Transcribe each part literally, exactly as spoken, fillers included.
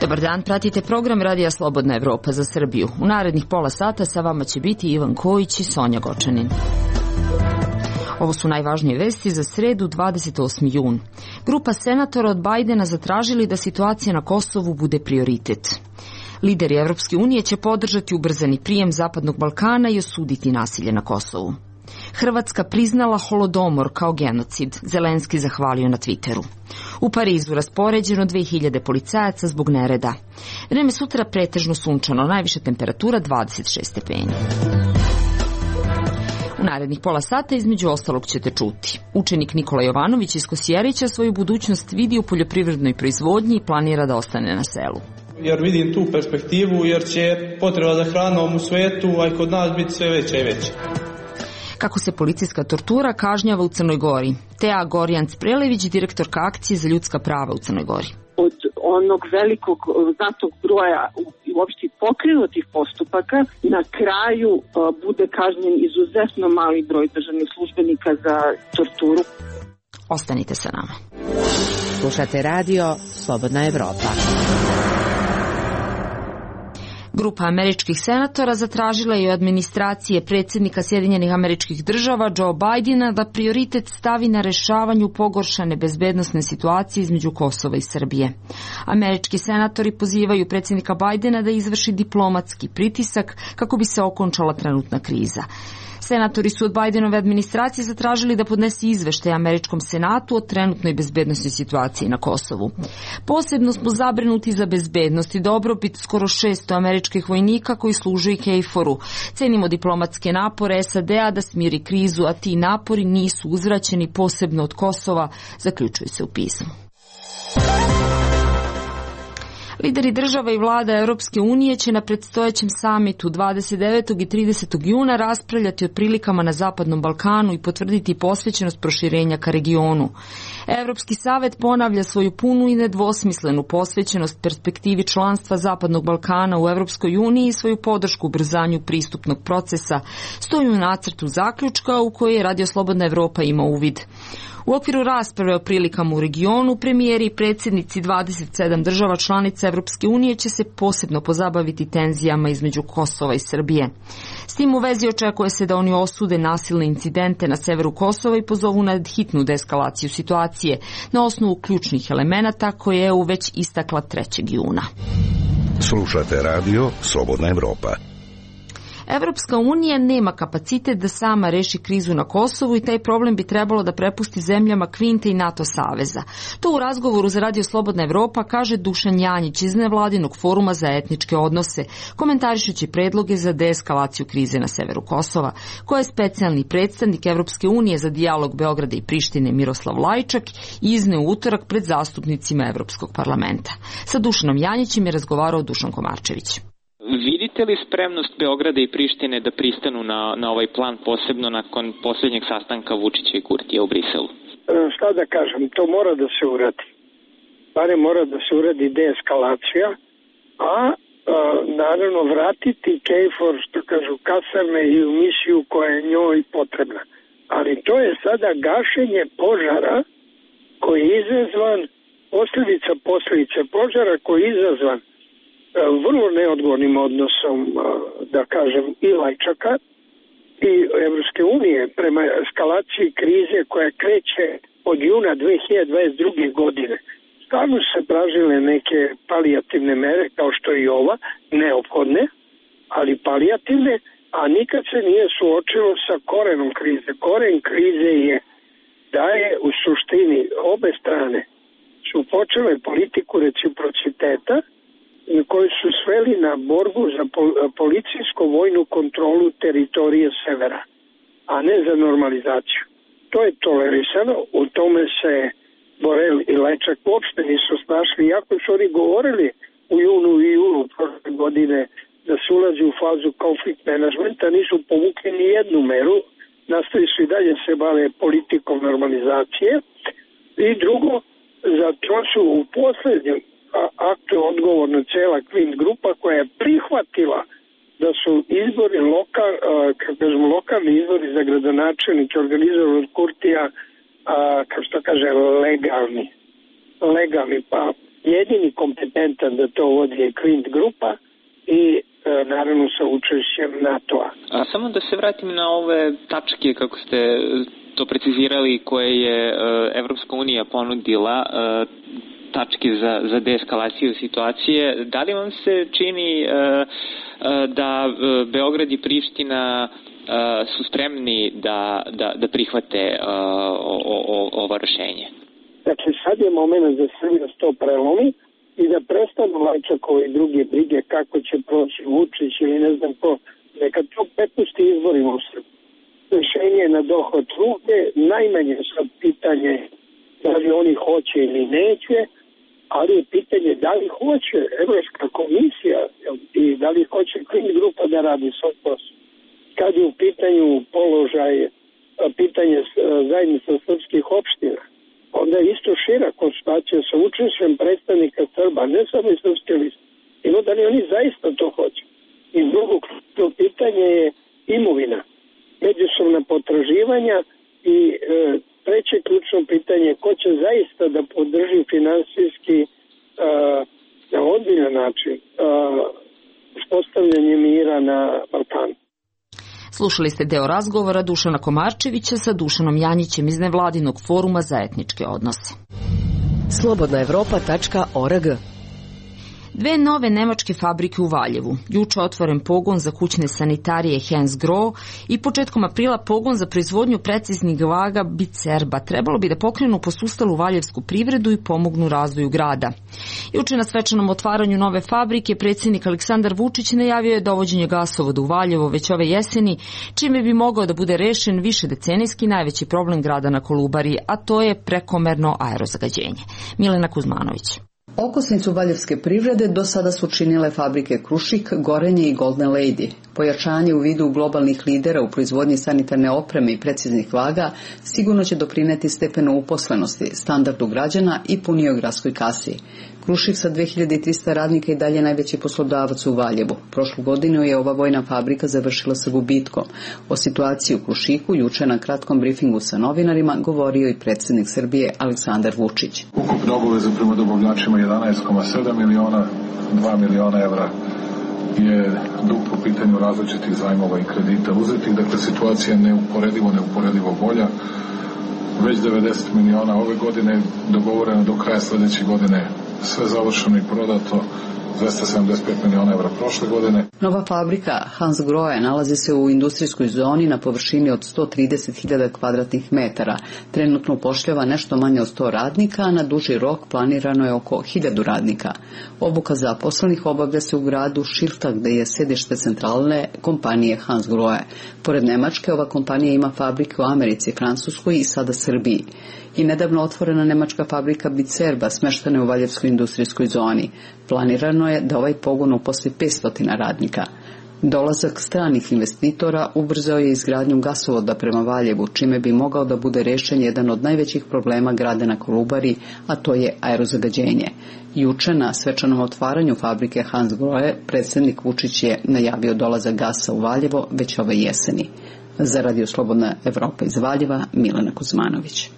Dobar dan, pratite program Radija Slobodna Evropa za Srbiju. U narednih pola sata sa vama će biti Ivan Kojić i Sonja Gočanin. Ovo su najvažnije vesti za sredu dvadeset osmi jun. Grupa senatora od Bajdena zatražili da situacija na Kosovu bude prioritet. Lideri Evropske unije će podržati ubrzani prijem Zapadnog Balkana i osuditi nasilje na Kosovu. Hrvatska priznala Holodomor kao genocid, Zelenski zahvalio na Twitteru. U Parizu raspoređeno dve hiljade policajaca zbog nereda. Vreme sutra pretežno sunčano, najviša temperatura dvadeset šest stepeni. U narednih pola sata između ostalog ćete čuti. Učenik Nikola Jovanović iz Kosjerića svoju budućnost vidi u poljoprivrednoj proizvodnji i planira da ostane na selu. Jer vidim tu perspektivu, jer će potreba za hranom u svetu, a i kod nas biti sve veća i veća. Kako se policijska tortura kažnjava u Crnoj Gori. Tea Gorjanc Prelević, direktorka akcije za ljudska prava u Crnoj Gori. Od onog velikog znatnog broja uopšte pokrenutih postupaka, na kraju bude kažnjen izuzetno mali broj državnih službenika za torturu. Ostanite sa nama. Slušate radio Slobodna Evropa. Grupa američkih senatora zatražila je od administracije predsjednika Sjedinjenih Američkih Država Joe Bidena da prioritet stavi na rešavanju pogoršane bezbednosne situacije između Kosova i Srbije. Američki senatori pozivaju predsjednika Bidena da izvrši diplomatski pritisak kako bi se okončala trenutna kriza. Senatori su od Bidenove administracije zatražili da podnese izveštaj Američkom senatu o trenutnoj bezbednosnoj situaciji na Kosovu. Posebno smo zabrinuti za bezbednost i dobrobit skoro šesto američkih vojnika koji služe i KFOR-u. Cenimo diplomatske napore S A D-a da smiri krizu, a ti napori nisu uzvraćeni posebno od Kosova, zaključuje se u pismu. Lideri država i vlada Europske unije će na predstojećem samitu dvadeset devetog i tridesetog juna raspravljati o prilikama na Zapadnom Balkanu i potvrditi posvećenost proširenja ka regionu. Europski savet ponavlja svoju punu i nedvosmislenu posvećenost perspektivi članstva Zapadnog Balkana u Europskoj uniji i svoju podršku ubrzanju pristupnog procesa, stoji u nacrtu zaključka u kojoj je Radio Slobodna Evropa ima uvid. U okviru rasprave o prilikama u regionu, premijeri i predsjednici dvadeset sedam država članica Evropske unije će se posebno pozabaviti tenzijama između Kosova i Srbije. S tim u vezi očekuje se da oni osude nasilne incidente na severu Kosova i pozovu na hitnu deeskalaciju situacije na osnovu ključnih elemenata koje je E U već istakla trećeg juna. Slušate radio Slobodna Evropa. Evropska unija nema kapacitet da sama reši krizu na Kosovu i taj problem bi trebalo da prepusti zemljama Kvinte i NATO saveza. To u razgovoru za Radio Slobodna Evropa kaže Dušan Janjić iz nevladinog foruma za etničke odnose, komentarišući predloge za deeskalaciju krize na severu Kosova, koje je specijalni predstavnik Evropske unije za dijalog Beograda i Prištine Miroslav Lajčak izneo u utorak pred zastupnicima Evropskog parlamenta. Sa Dušanom Janjićem je razgovarao Dušan Komarčević. Vidite li spremnost Beograda i Prištine da pristanu na, na ovaj plan, posebno nakon posljednjeg sastanka Vučića i Kurtija u Briselu? Šta da kažem, to mora da se uradi. Bare mora da se uradi deeskalacija, a, a naravno vratiti KFOR, što kažu, kasarne i u misiju koja je njoj potrebna. Ali to je sada gašenje požara koji je izazvan, posljedica posljedice požara koji je izazvan vrlo neodgovornim odnosom, da kažem, i Lajčaka i Evropske unije prema eskalaciji krize koja kreće od juna dve hiljade dvadeset druge. godine. Stvarno se tražile neke palijativne mere, kao što je i ova, neophodne, ali palijativne, a nikad se nije suočilo sa korenom krize. Koren krize je da je u suštini obe strane su počele politiku reciprociteta koji su sveli na borbu za policijsko-vojnu kontrolu teritorije severa, a ne za normalizaciju. To je tolerisano, u tome se Borel i Lajčak uopšte nisu snašli, iako su oni govorili u junu i julu prošle godine da se ulazi u fazu konflikt menadžmenta, nisu povukli ni jednu meru, nastavi su i dalje se bave politikom normalizacije. I drugo, zato su u posljednjem aktu odgovorna cela Kvint grupa koja je prihvatila da su izbori lokal, kako kažemo, lokalni izbori za gradonačelnike organizovani od Kurtija, kako što kaže, legalni. Legalni, pa jedini kompetentan da to vodi je Quint grupa i naravno sa učešćem NATO-a. A samo da se vratim na ove tačke, kako ste to precizirali, koje je Evropska unija ponudila, tačke za, za deeskalaciju situacije. Da li vam se čini da Beograd i Priština su spremni da, da, da prihvate o, o, ovo rešenje? Dakle, sad je moment da Srbija to prelomi i da prestanu Lajčakove i druge brige kako će proći Vučić ili ne znam ko. Neka to prepusti izborima u Srbiji. Rešenje na dohod ruke, najmanje sad pitanje da li oni hoće ili neće, ali je pitanje da li hoće Evropska komisija i da li hoće Quint grupa da radi svoj posao. Kad je u pitanju položaj, pitanje zajednica srpskih opština, onda je isto šira konstatacija sa učešćem predstavnika Srba, ne samo iz srpske liste. Ino da li oni zaista to hoće. I drugo ključno pitanje je imovina, međusobna potraživanja i e, treće ključno pitanje je ko će zaista da podrži finansijski e, na ozbiljan način e, uspostavljanje mira na Balkanu. Slušali ste deo razgovora Dušana Komarčevića sa Dušanom Janjićem iz nevladinog foruma za etničke odnose. slobodna evropa tačka org. Dve nove nemačke fabrike u Valjevu. Juče otvoren pogon za kućne sanitarije Hansgrohe i početkom aprila pogon za proizvodnju preciznih vaga Bicerba. Trebalo bi da pokrenu posustalu valjevsku privredu i pomognu razvoju grada. Juče na svečanom otvaranju nove fabrike predsjednik Aleksandar Vučić najavio je dovođenje gasovoda u Valjevo već ove jeseni, čime bi mogao da bude rešen višedecenijski najveći problem grada na Kolubari, a to je prekomerno aerozagađenje. Milena Kuzmanović. Okosnicu valjevske privrede do sada su činile fabrike Krušik, Gorenje i Golden Lady. Pojačanje u vidu globalnih lidera u proizvodnji sanitarne opreme i preciznih vaga sigurno će doprineti stepenu uposlenosti, standardu građana i punijoj gradskoj kasi. Krušik sa dve hiljade trista radnika i dalje najveći poslodavac u Valjevu. Prošlu godinu je ova vojna fabrika završila sa gubitkom. O situaciji u Krušiku juče na kratkom brifingu sa novinarima govorio i predsjednik Srbije Aleksandar Vučić. Ukupne obaveze prema dobavljačima jedanaest zarez sedam miliona, dva miliona evra je dug po pitanju različitih zajmova i kredita uzetih. Dakle, situacija je neuporedivo, neuporedivo bolja. Već devedeset miliona ove godine, dogovoreno do kraja sljedeće godine, sve završeno i prodato, dvesta sedamdeset pet miliona evra prošle godine. Nova fabrika Hansgrohe nalazi se u industrijskoj zoni na površini od sto trideset hiljada kvadratnih metara. Trenutno upošljava nešto manje od sto radnika, a na duži rok planirano je oko hiljadu radnika. Obuka zaposlenih obavlja se u gradu Šilta, gde je sedište centralne kompanije Hansgrohe. Pored Nemačke, ova kompanija ima fabrike u Americi, Francuskoj i sada Srbiji. I nedavno otvorena nemačka fabrika Bicerba smeštena je u Valjevskoj industrijskoj zoni. Planirano je da ovaj pogon uposli petsto radnika. Dolazak stranih investitora ubrzao je izgradnju gasovoda prema Valjevu, čime bi mogao da bude rešen jedan od najvećih problema grada na Kolubari, a to je aerozagađenje. Juče na svečanom otvaranju fabrike Hansgrohe predsjednik Vučić je najavio dolazak gasa u Valjevo već ove jeseni. Za Radio Slobodna Evropa iz Valjeva, Milena Kuzmanović.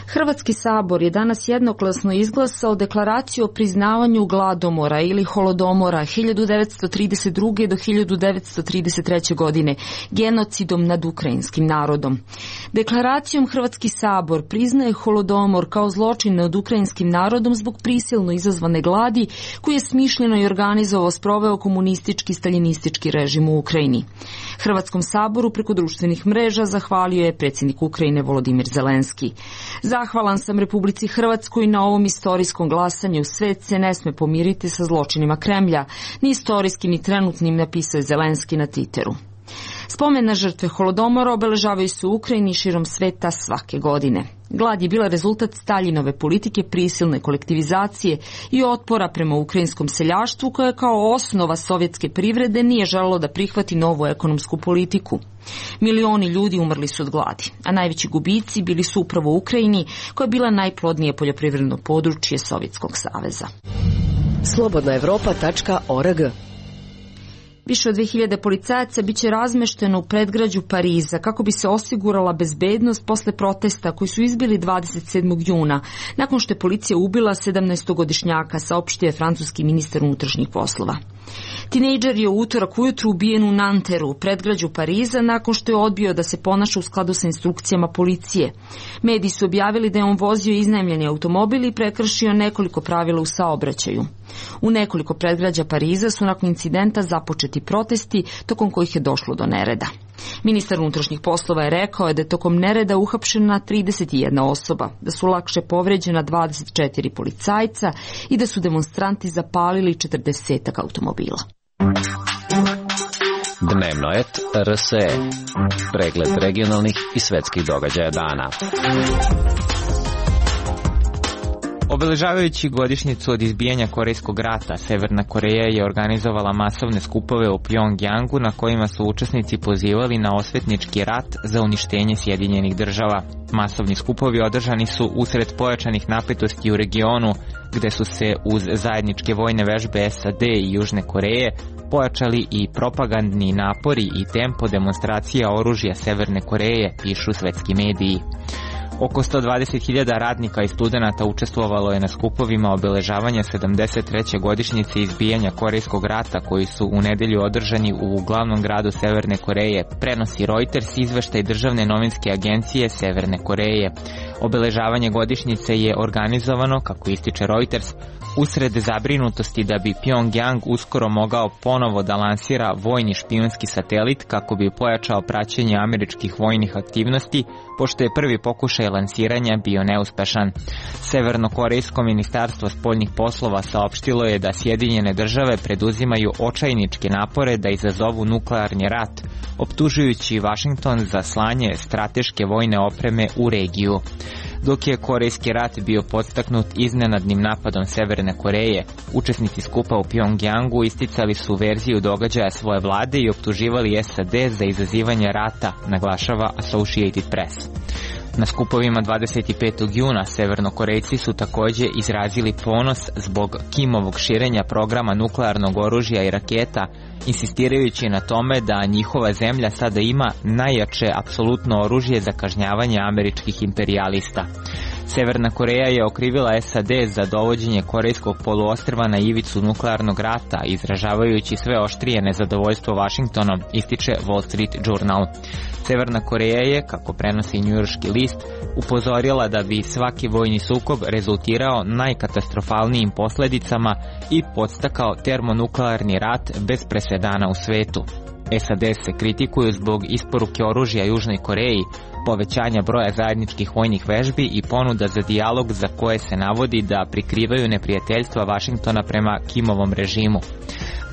Hrvatski sabor je danas jednoglasno izglasao deklaraciju o priznavanju gladomora ili holodomora hiljadu devetsto trideset druge do hiljadu devetsto trideset treće. godine, genocidom nad ukrajinskim narodom. Deklaracijom Hrvatski sabor priznaje holodomor kao zločin nad ukrajinskim narodom zbog prisilno izazvane gladi koji je smišljeno i organizovao sproveo komunistički staljinistički režim u Ukrajini. Hrvatskom saboru preko društvenih mreža zahvalio je predsjednik Ukrajine Volodimir Zelenski. Zahvalan sam Republici Hrvatskoj na ovom istorijskom glasanju. Svet se ne sme pomiriti sa zločinima Kremlja, ni istorijskim ni trenutnim, napisao je Zelenski na Twitteru. Spomen na žrtve holodomora obeležavaju se u Ukrajini širom sveta svake godine. Glad je bila rezultat Staljinove politike prisilne kolektivizacije i otpora prema ukrajinskom seljaštvu koje kao osnova sovjetske privrede nije želelo da prihvati novu ekonomsku politiku. Milioni ljudi umrli su od gladi, a najveći gubici bili su upravo u Ukrajini koja je bila najplodnije poljoprivredno područje Sovjetskog saveza. slobodna evropa tačka org. Više od dve hiljade policajaca biće razmešteno u predgrađu Pariza kako bi se osigurala bezbednost posle protesta koji su izbili dvadeset sedmog juna, nakon što je policija ubila sedamnaestogodišnjaka, saopštio je francuski ministar unutrašnjih poslova. Tinejdžer je u utorak ujutru ubijen u Nanteru, predgrađu Pariza, nakon što je odbio da se ponaša u skladu sa instrukcijama policije. Mediji su objavili da je on vozio iznajmljeni automobil i prekršio nekoliko pravila u saobraćaju. U nekoliko predgrađa Pariza su nakon incidenta započeti protesti, tokom kojih je došlo do nereda. Ministar unutrašnjih poslova je rekao da je tokom nereda uhapšena trideset jedna osoba, da su lakše povređena dvadeset četiri policajca i da su demonstranti zapalili četrdesetak automobila. Dnevno et R S E. Pregled regionalnih i svetskih događaja dana. Obeležavajući godišnjicu od izbijanja Korejskog rata, Severna Koreja je organizovala masovne skupove u Pjongjangu na kojima su učesnici pozivali na osvetnički rat za uništenje Sjedinjenih država. Masovni skupovi održani su usred pojačanih napetosti u regionu, gde su se uz zajedničke vojne vežbe S A D i Južne Koreje pojačali i propagandni napori i tempo demonstracija oružja Severne Koreje, pišu svetski mediji. Oko sto dvadeset hiljada radnika i studenata učestvovalo je na skupovima obeležavanja sedamdeset treće godišnjice izbijanja Korejskog rata koji su u nedelju održani u glavnom gradu Severne Koreje, prenosi Reuters izveštaj državne novinske agencije Severne Koreje. Obeležavanje godišnjice je organizovano, kako ističe Reuters, usred zabrinutosti da bi Pjongjang uskoro mogao ponovo da lansira vojni špijunski satelit kako bi pojačao praćenje američkih vojnih aktivnosti, pošto je prvi pokušaj lansiranja bio neuspešan. Severnokorejsko ministarstvo spoljnih poslova saopštilo je da Sjedinjene države preduzimaju očajničke napore da izazovu nuklearni rat, optužujući Vašington za slanje strateške vojne opreme u regiju. Dok je Korejski rat bio podstaknut iznenadnim napadom Severne Koreje, učesnici skupa u Pjongjangu isticali su verziju događaja svoje vlade i optuživali S A D za izazivanje rata, naglašava Associated Press. Na skupovima dvadeset petog juna Severnokorejci su takođe izrazili ponos zbog Kimovog širenja programa nuklearnog oružja i raketa, insistirajući na tome da njihova zemlja sada ima najjače apsolutno oružje za kažnjavanje američkih imperijalista. Severna Koreja je okrivila S A D za dovođenje Korejskog poluostrva na ivicu nuklearnog rata, izražavajući sve oštrije nezadovoljstvo Vašingtonom, ističe Wall Street Journal. Severna Koreja je, kako prenosi njujorški list, upozorila da bi svaki vojni sukob rezultirao najkatastrofalnijim posledicama i podstakao termonuklearni rat bez presedana u svetu. S A D se kritikuju zbog isporuke oružja Južnoj Koreji, povećanja broja zajedničkih vojnih vežbi i ponuda za dijalog za koje se navodi da prikrivaju neprijateljstva Vašingtona prema Kimovom režimu.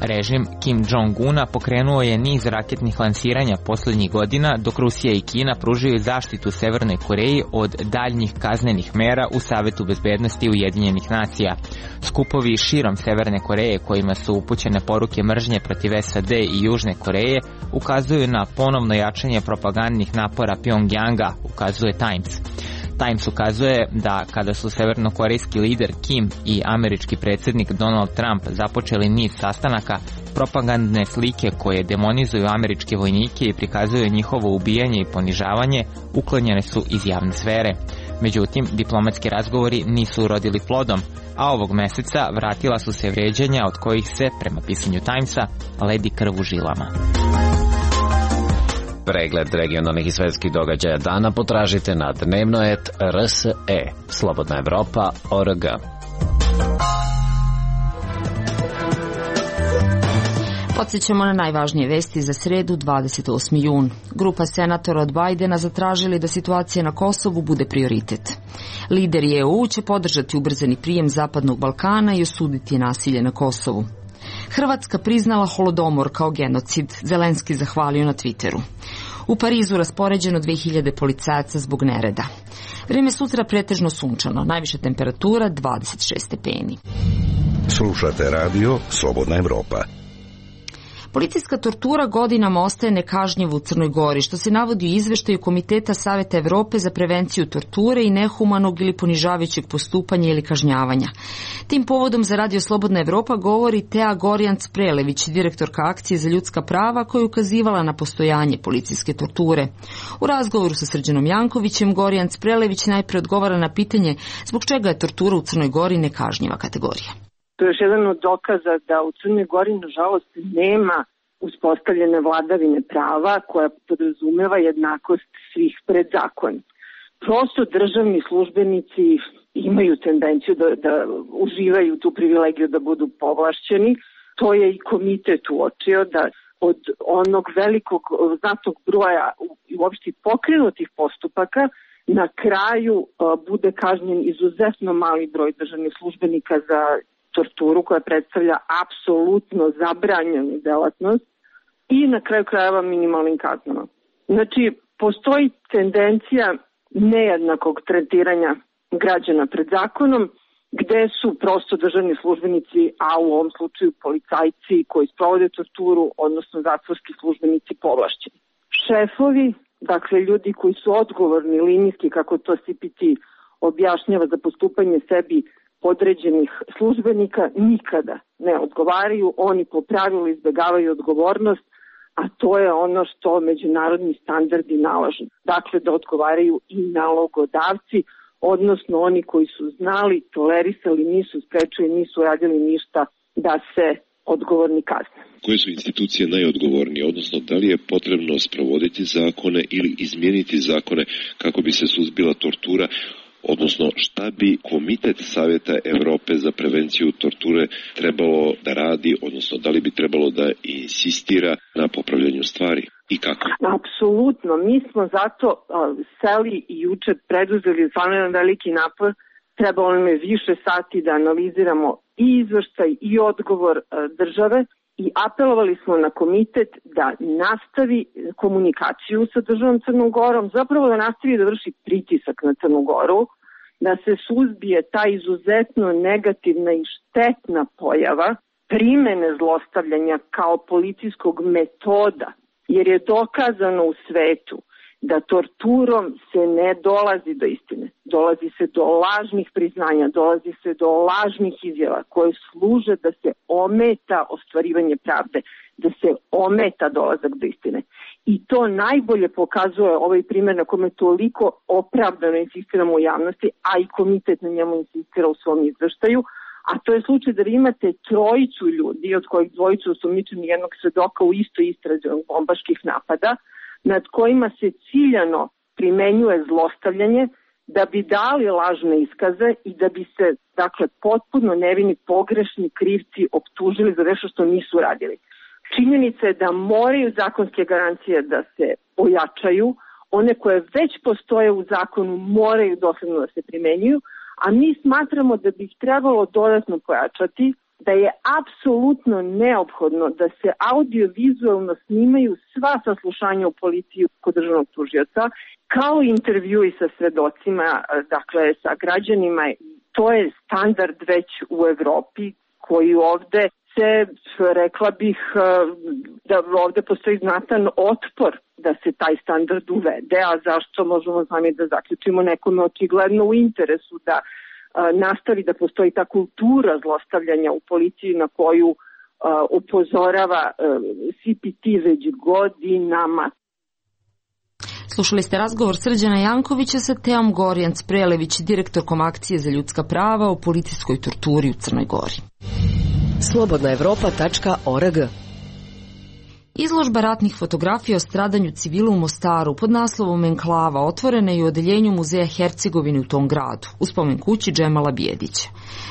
Režim Kim Jong-una pokrenuo je niz raketnih lansiranja poslednjih godina, dok Rusija i Kina pružaju zaštitu Severnoj Koreji od daljnjih kaznenih mera u Savetu bezbednosti Ujedinjenih nacija. Skupovi širom Severne Koreje kojima su upućene poruke mržnje protiv S A D i Južne Koreje ukazuju na ponovno jačanje propagandnih napora Pjongjanga, ukazuje Times. Times ukazuje da kada su severnokorejski lider Kim i američki predsjednik Donald Trump započeli niz sastanaka, propagandne slike koje demonizuju američke vojnike i prikazuju njihovo ubijanje i ponižavanje uklonjene su iz javne sfere. Međutim, diplomatski razgovori nisu urodili plodom, a ovog meseca vratila su se vređanja od kojih se, prema pisanju Timesa, ledi krv u žilama. Pregled regionalnih i svetskih događaja dana potražite na dnevno et R S E, slobodna evropa tačka org. Podsjećamo na najvažnije vesti za sredu, dvadeset osmi jun. Grupa senatora od Bajdena zatražili da situacija na Kosovu bude prioritet. Lideri E U će podržati ubrzani prijem Zapadnog Balkana i osuditi nasilje na Kosovu. Hrvatska priznala Holodomor kao genocid, Zelenski zahvalio na Twitteru. U Parizu raspoređeno dve hiljade policajaca zbog nereda. Vreme sutra pretežno sunčano, najviša temperatura dvadeset šest stepeni. Slušate radio Slobodna Evropa. Policijska tortura godinama ostaje nekažnjiva u Crnoj Gori, što se navodi u izveštaju Komiteta Saveta Evrope za prevenciju torture i nehumanog ili ponižavajućeg postupanja ili kažnjavanja. Tim povodom za Radio Slobodna Evropa govori Tea Gorjanc-Prelević, direktorka Akcije za ljudska prava, koja je ukazivala na postojanje policijske torture. U razgovoru sa Srđanom Jankovićem, Gorjanc-Prelević najpre odgovara na pitanje zbog čega je tortura u Crnoj Gori nekažnjiva kategorija. To je još jedan od dokaza da u Crnoj Gori, nažalost, nema uspostavljene vladavine prava koja podrazumeva jednakost svih pred zakon. Prosto državni službenici imaju tendenciju da, da uživaju tu privilegiju da budu povlašćeni. To je i komitet uočio da od onog velikog znatnog broja i uopšte pokrenutih postupaka na kraju bude kažnjen izuzetno mali broj državnih službenika za torturu koja predstavlja apsolutno zabranjenu delatnost i na kraju krajeva minimalnim kaznama. Znači, postoji tendencija nejednakog tretiranja građana pred zakonom, gde su prosto državni službenici, a u ovom slučaju policajci koji sprovode torturu, odnosno zatvorski službenici, povlašćeni. Šefovi, dakle ljudi koji su odgovorni linijski, kako to C P T objašnjava za postupanje sebi određenih službenika, nikada ne odgovaraju, oni po pravilu izbjegavaju odgovornost, a to je ono što međunarodni standardi nalažu. Dakle, da odgovaraju i nalogodavci, odnosno oni koji su znali, tolerisali, nisu sprečili, nisu radili ništa da se odgovorni kazne. Koje su institucije najodgovornije, odnosno da li je potrebno sprovoditi zakone ili izmijeniti zakone kako bi se suzbila tortura, odnosno šta bi Komitet Saveta Evrope za prevenciju torture trebalo da radi, odnosno da li bi trebalo da insistira na popravljanju stvari i kako? Apsolutno, mi smo zato uh, seli i juče preduzeli stvarno jedan veliki napor, trebalo nam je više sati da analiziramo i izveštaj i odgovor uh, države i apelovali smo na komitet da nastavi komunikaciju sa državom Crnom Gorom, zapravo da nastavi da vrši pritisak na Crnu Goru, da se suzbije ta izuzetno negativna i štetna pojava primene zlostavljanja kao policijskog metoda, jer je dokazano u svetu da torturom se ne dolazi do istine. Dolazi se do lažnih priznanja, dolazi se do lažnih izjava koje služe da se ometa ostvarivanje pravde, da se ometa dolazak do istine. I to najbolje pokazuje ovaj primjer na kome toliko opravdano insistiramo u javnosti, a i komitet na njemu insistira u svom izveštaju, a to je slučaj da vi imate trojicu ljudi, od kojih dvojicu osumnjičeni jednog svedoka u istoj istrazi bombaških napada, nad kojima se ciljano primenjuje zlostavljanje da bi dali lažne iskaze i da bi se, dakle, potpuno nevini pogrešni krivci optužili za nešto što nisu radili. Činjenica je da moraju zakonske garancije da se ojačaju, one koje već postoje u zakonu moraju dosledno da se primenjuju, a mi smatramo da bi ih trebalo dodatno pojačati, da je apsolutno neophodno da se audiovizualno snimaju sva saslušanja u policiji kod državnog tužioca, kao intervjui sa svedocima, dakle sa građanima. To je standard već u Evropi koji ovde se, rekla bih, da ovde postoji znatan otpor da se taj standard uvede, a zašto možemo sami da zaključimo nekome očigledno u interesu da nastavi da postoji ta kultura zlostavljanja u policiji na koju uh, upozorava uh, C P T već godinama. Slušali ste razgovor Srđana Jankovića sa Teom Gorjanc-Prelević, direktorkom Akcije za ljudska prava o policijskoj torturi u Crnoj Gori. slobodna evropa tačka org. Izložba ratnih fotografija o stradanju civila u Mostaru pod naslovom Enklava otvorena je u odeljenju Muzeja Hercegovine u tom gradu, u spomen kući Džemala Bijedića.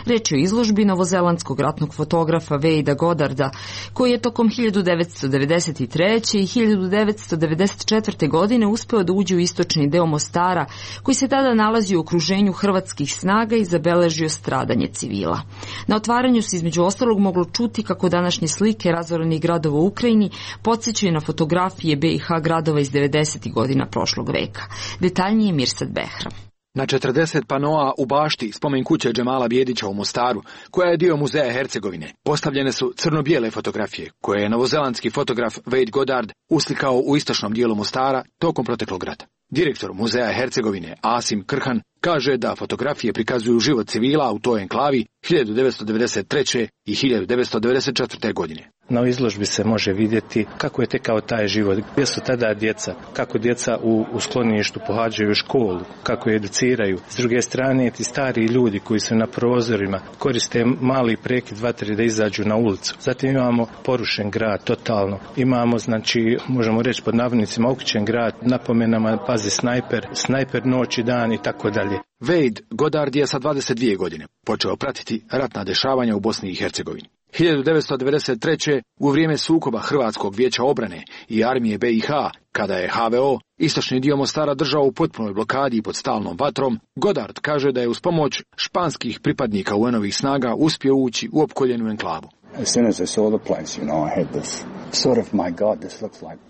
Reč je o izložbi novozelandskog ratnog fotografa Wayda Goddarda, koji je tokom hiljadu devetsto devedeset treće. i hiljadu devetsto devedeset četvrte. godine uspeo da uđe u istočni deo Mostara, koji se tada nalazi u okruženju hrvatskih snaga i zabeležio stradanje civila. Na otvaranju se između ostalog moglo čuti kako današnje slike razorenih gradova u Ukrajini podsjećaju na fotografije B i H gradova iz devedesetih godina prošlog veka. Detaljnije Mirsad Behram. Na četrdeset panoa u bašti spomen kuće Džemala Bijedića u Mostaru, koja je dio muzeja Hercegovine, postavljene su crno-bijele fotografije, koje je novozelandski fotograf Wade Goddard uslikao u istočnom dijelu Mostara tokom proteklog rata. Direktor muzeja Hercegovine Asim Krhan kaže da fotografije prikazuju život civila u toj enklavi hiljadu devetsto devedeset treće. i hiljadu devetsto devedeset četvrte. godine. Na izložbi se može vidjeti kako je tekao taj život, gdje su tada djeca, kako djeca u, u skloništu pohađaju školu, kako je educiraju. S druge strane, ti stari ljudi koji su na prozorima koriste mali prekid vatre da izađu na ulicu. Zatim imamo porušen grad totalno. Imamo, znači, možemo reći pod navodnicima, okućen grad, napomenama pazi snajper, snajper noć i dan i tako dalje. Wade Goddard je sa dvadeset dvije godine počeo pratiti ratna dešavanja u Bosni i Hercegovini. hiljadu devetsto devedeset treće. u vrijeme sukoba Hrvatskog vijeća obrane i armije B i H, kada je H V O istočni dio Mostara držao u potpunoj blokadi i pod stalnom vatrom, Goddard kaže da je uz pomoć španskih pripadnika U N-ovih snaga uspio ući u opkoljenu enklavu.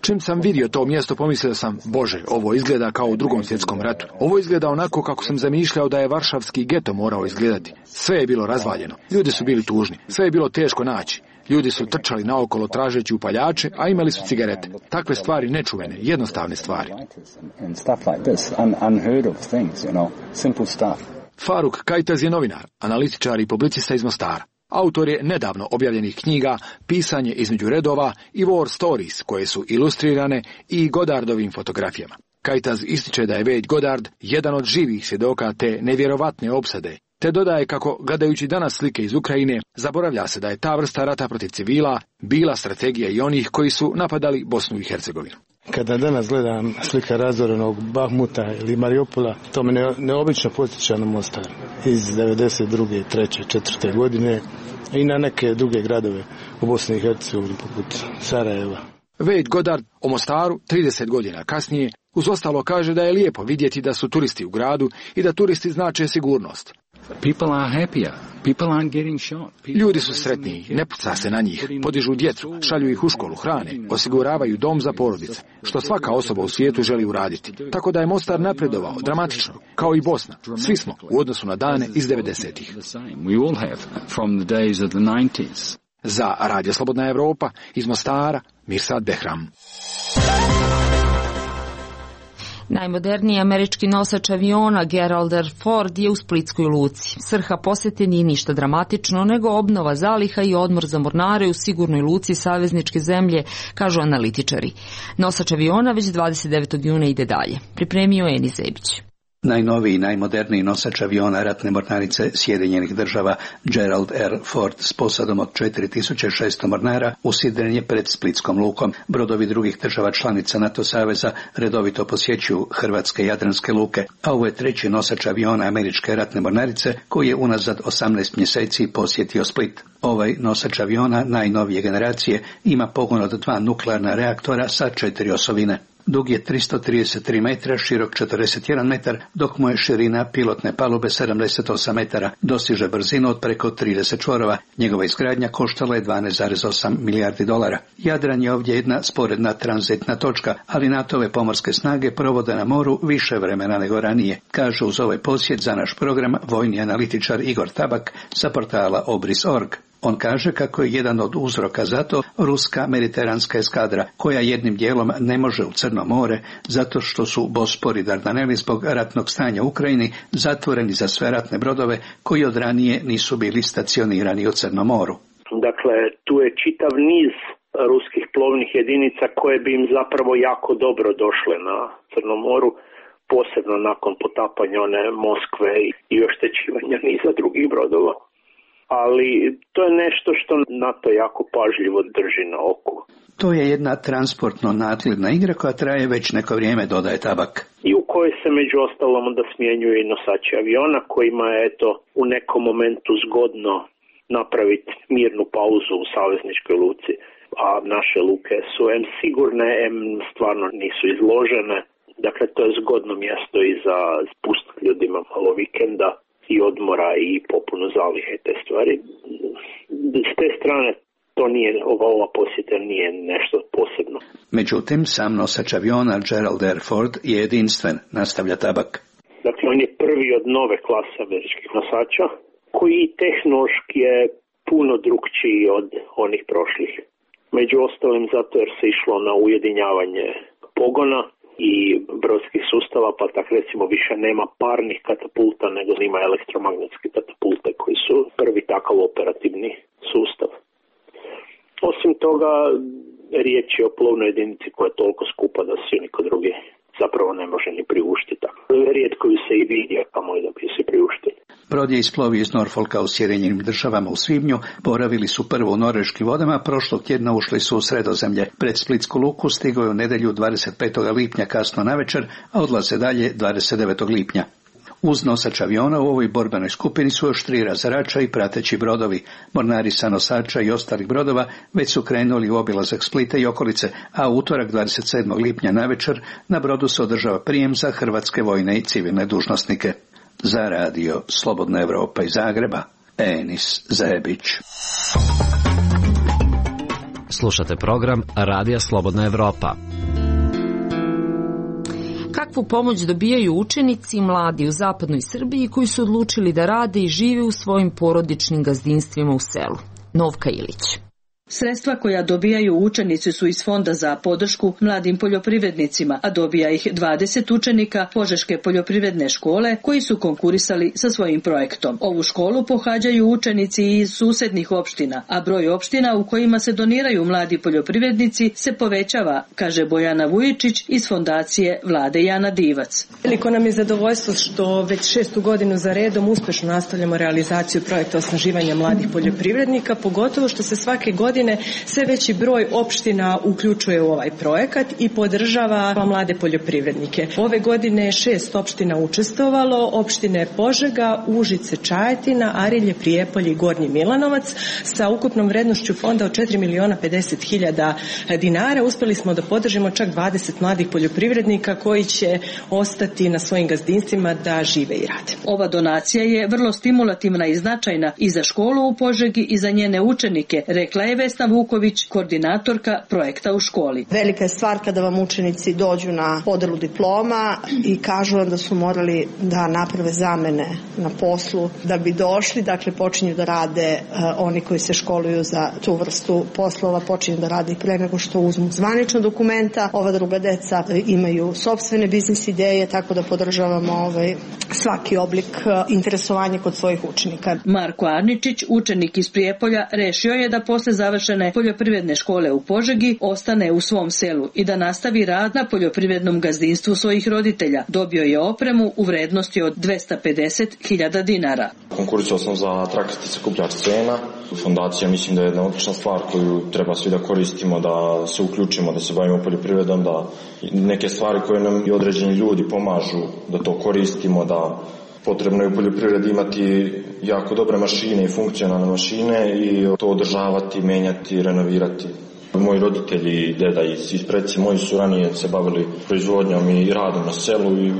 Čim sam vidio to mjesto, pomislio sam, Bože, ovo izgleda kao u Drugom svjetskom ratu. Ovo izgleda onako kako sam zamišljao da je varšavski geto morao izgledati. Sve je bilo razvaljeno, ljudi su bili tužni, sve je bilo teško naći. Ljudi su trčali naokolo tražeći upaljače, a imali su cigarete. Takve stvari nečuvene, jednostavne stvari. Faruk Kajtaz je novinar, analitičar i publicista iz Mostara. Autor je nedavno objavljenih knjiga Pisanje između redova i War Stories, koje su ilustrirane i Goddardovim fotografijama. Kajtaz ističe da je Wade Goddard jedan od živih svjedoka te nevjerovatne opsade, te dodaje kako, gledajući danas slike iz Ukrajine, zaboravlja se da je ta vrsta rata protiv civila bila strategija i onih koji su napadali Bosnu i Hercegovinu. Kada danas gledam slika razorenog Bahmuta ili Mariupola, to me ne, neobično podsjeća na Mostar iz devedeset druge, treće, četvrte. godine i na neke druge gradove u Bosni i Hercegovini poput Sarajeva. Wade Goddard o Mostaru trideset godina kasnije uz ostalo kaže da je lijepo vidjeti da su turisti u gradu i da turisti znače sigurnost. Ljudi su sretniji, ne puca se na njih, podižu djecu, šalju ih u školu, hrane, osiguravaju dom za porodice, što svaka osoba u svijetu želi uraditi. Tako da je Mostar napredovao dramatično, kao i Bosna. Svi smo u odnosu na dane iz devedesetih. Za Radio Slobodna Evropa iz Mostara, Mirsad Behram. Najmoderniji američki nosač aviona Gerald R. Ford je u Splitskoj luci. Svrha posjete nije ništa dramatično, nego obnova zaliha i odmor za mornare u sigurnoj luci savezničke zemlje, kažu analitičari. Nosač aviona već dvadeset devetog juna ide dalje. Pripremio Eni Zebić. Najnoviji i najmoderniji nosač aviona ratne mornarice Sjedinjenih država Gerald R. Ford s posadom od četiri tisuće šesto mornara usidren je pred Splitskom lukom. Brodovi drugih država članica NATO saveza redovito posjećuju hrvatske jadranske luke, a ovo je treći nosač aviona američke ratne mornarice koji je unazad osamnaest mjeseci posjetio Split. Ovaj nosač aviona najnovije generacije ima pogon od dva nuklearna reaktora sa četiri osovine. Dug je tristo trideset tri metra, širok četrdeset jedan metar, dok mu je širina pilotne palube sedamdeset osam metara, dosiže brzinu od preko trideset čvorova. Njegova izgradnja koštala je dvanaest zarez osam milijardi dolara. Jadran je ovdje jedna sporedna tranzitna točka, ali NATO-ve pomorske snage provode na moru više vremena nego ranije, kaže uz ovaj posjet za naš program vojni analitičar Igor Tabak sa portala Obris točka org. On kaže kako je jedan od uzroka za to ruska mediteranska eskadra, koja jednim dijelom ne može u Crno more, zato što su Bospor i Dardaneli zbog ratnog stanja u Ukrajini zatvoreni za sve ratne brodove koji od ranije nisu bili stacionirani u Crnom moru. Dakle, tu je čitav niz ruskih plovnih jedinica koje bi im zapravo jako dobro došle na Crnom moru, posebno nakon potapanja one Moskve i oštećivanja niza drugih brodova. Ali to je nešto što NATO jako pažljivo drži na oku. To je jedna transportno-nadgledna igra koja traje već neko vrijeme, dodaje Tabak. I u kojoj se među ostalom onda smjenjuju i nosači aviona, kojima je eto u nekom momentu zgodno napraviti mirnu pauzu u savezničkoj luci. A naše luke su em sigurne, em stvarno nisu izložene. Dakle, to je zgodno mjesto i za spustiti ljudima malo vikenda i odmora i popunu zalihe te stvari. S te strane to nije, ova, ova posjeta nije nešto posebno. Međutim, sam nosač aviona Gerald R. Ford je jedinstven, nastavlja Tabak. Dakle, on je prvi od nove klase američkih nosača, koji tehnološki je puno drukčiji od onih prošlih. Među ostalim zato jer se išlo na ujedinjavanje pogona i brodskih sustava, pa tak recimo više nema parnih katapulta, nego ima elektromagnetske katapulte koji su prvi takav operativni sustav. Osim toga, riječ je o plovnoj jedinici koja je toliko skupa da se niko drugi zapravo ne može ni priuštiti. Rijetko ju se i vidi, a kamoli da bi se priuštili. Brod je isplovio iz Norfolka u Sjedinjenim državama u svibnju, boravili su prvo u norveškim vodama, prošlog tjedna ušli su u Sredozemlje. Pred Splitsku luku stigao je u nedjelju dvadeset petog lipnja kasno navečer, a odlaze dalje dvadeset devetog lipnja. Uz nosač aviona u ovoj borbenoj skupini su još tri razarača i prateći brodovi. Mornari sa nosača i ostalih brodova već su krenuli u obilazak Splita i okolice, a u utorak dvadeset sedmog lipnja navečer na brodu se održava prijem za hrvatske vojne i civilne dužnosnike. Za radio Slobodna Evropa iz Zagreba, Enis Zebić. Slušate program Radija Slobodna Evropa. Kakvu pomoć dobijaju učenici mladi u zapadnoj Srbiji koji su odlučili da rade i žive u svojim porodičnim gazdinstvima u selu? Novka Ilić. Sredstva koja dobijaju učenici su iz Fonda za podršku mladim poljoprivrednicima, a dobija ih dvadeset učenika Požeške poljoprivredne škole koji su konkurisali sa svojim projektom. Ovu školu pohađaju učenici iz susednih opština, a broj opština u kojima se doniraju mladi poljoprivrednici se povećava, kaže Bojana Vujičić iz fondacije Vlade Jana Divac. Veliko nam je zadovoljstvo što već šestu godinu za redom uspešno nastavljamo realizaciju projekta osnaživanja mladih poljoprivrednika, pogotovo što se svake godine sve veći broj opština uključuje u ovaj projekat i podržava mlade poljoprivrednike. Ove godine je šest opština učestvovalo, opštine Požega, Užice, Čajetina, Arilje, Prijepolje i Gornji Milanovac sa ukupnom vrednošću fonda od četiri miliona pedeset hiljada dinara. Uspeli smo da podržimo čak dvadeset mladih poljoprivrednika koji će ostati na svojim gazdinstvima da žive i rade. Ova donacija je vrlo stimulativna i značajna i za školu u Požegi i za njene učenike, rekla je Vesna Vuković, koordinatorka projekta u školi. Velika je stvar kada vam učenici dođu na podelu diploma i kažu vam da su morali da naprave zamene na poslu da bi došli, dakle počinju da rade uh, oni koji se školuju za tu vrstu poslova, počinju da rade i pre nego što uzmu zvanična dokumenta. Ova druga deca imaju sopstvene biznis ideje, tako da podržavamo ovaj, svaki oblik uh, interesovanja kod svojih učenika. Marko Arničić, učenik iz Prijepolja, rešio je da posle završene poljoprivredne škole u Požegi ostane u svom selu i da nastavi rad na poljoprivrednom gazdinstvu svojih roditelja. Dobio je opremu u vrednosti od dvesta pedeset hiljada dinara. Konkurisao sam za traktor sakupljač cena. Fondacija mislim da je jedna odlična stvar koju treba svi da koristimo, da se uključimo, da se bavimo poljoprivredom, da neke stvari koje nam i određeni ljudi pomažu, da to koristimo, da potrebno je u poljoprivredi imati jako dobre mašine i funkcionalne mašine i to održavati, menjati, renovirati. Moji roditelji i deda i preci moji su ranije se bavili proizvodnjom i radom na selu i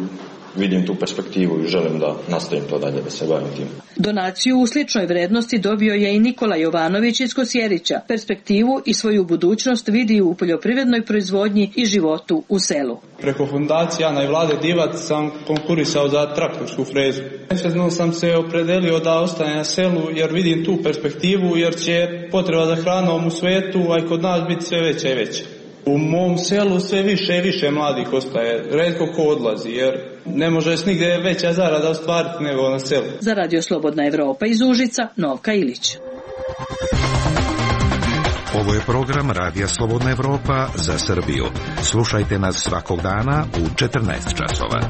vidim tu perspektivu i želim da nastavim to dalje, da se bavim tim. Donaciju u sličnoj vrednosti dobio je i Nikola Jovanović iz Kosjerića. Perspektivu i svoju budućnost vidi u poljoprivrednoj proizvodnji i životu u selu. Preko fondacije Jana i Vlade Divac sam konkurisao za traktorsku frezu. Nesvjesno sam se opredelio da ostane na selu jer vidim tu perspektivu, jer će potreba za hranom u svetu, a i kod nas biti sve veća i veća. U mom selu sve više i više mladih ostaje, retko ko odlazi, jer ne može se nigde veća zarada ostvariti nego na selu. Za Radio Slobodna Evropa iz Užica, Novka Ilić. Ovo je program Radija Slobodna Evropa za Srbiju. Slušajte nas svakog dana u četrnaest časova.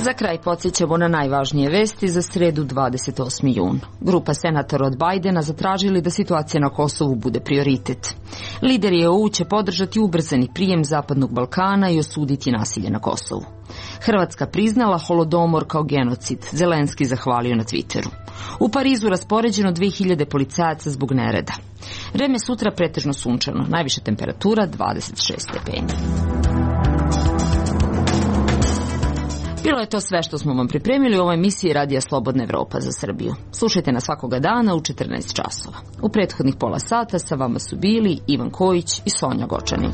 Za kraj podsjećamo na najvažnije vesti za sredu dvadeset osmi jun. Grupa senatora od Bajdena zatražili da situacija na Kosovu bude prioritet. Lideri E U će podržati ubrzani prijem Zapadnog Balkana i osuditi nasilje na Kosovu. Hrvatska priznala Holodomor kao genocid, Zelenski zahvalio na Twitteru. U Parizu raspoređeno dve hiljade policajaca zbog nereda. Vreme sutra pretežno sunčano, najviša temperatura dvadeset šest stepeni. Bilo je to sve što smo vam pripremili u ovoj emisiji Radija Slobodna Evropa za Srbiju. Slušajte nas svakoga dana u četrnaest časova. U prethodnih pola sata sa vama su bili Ivan Kojić i Sonja Gočanin.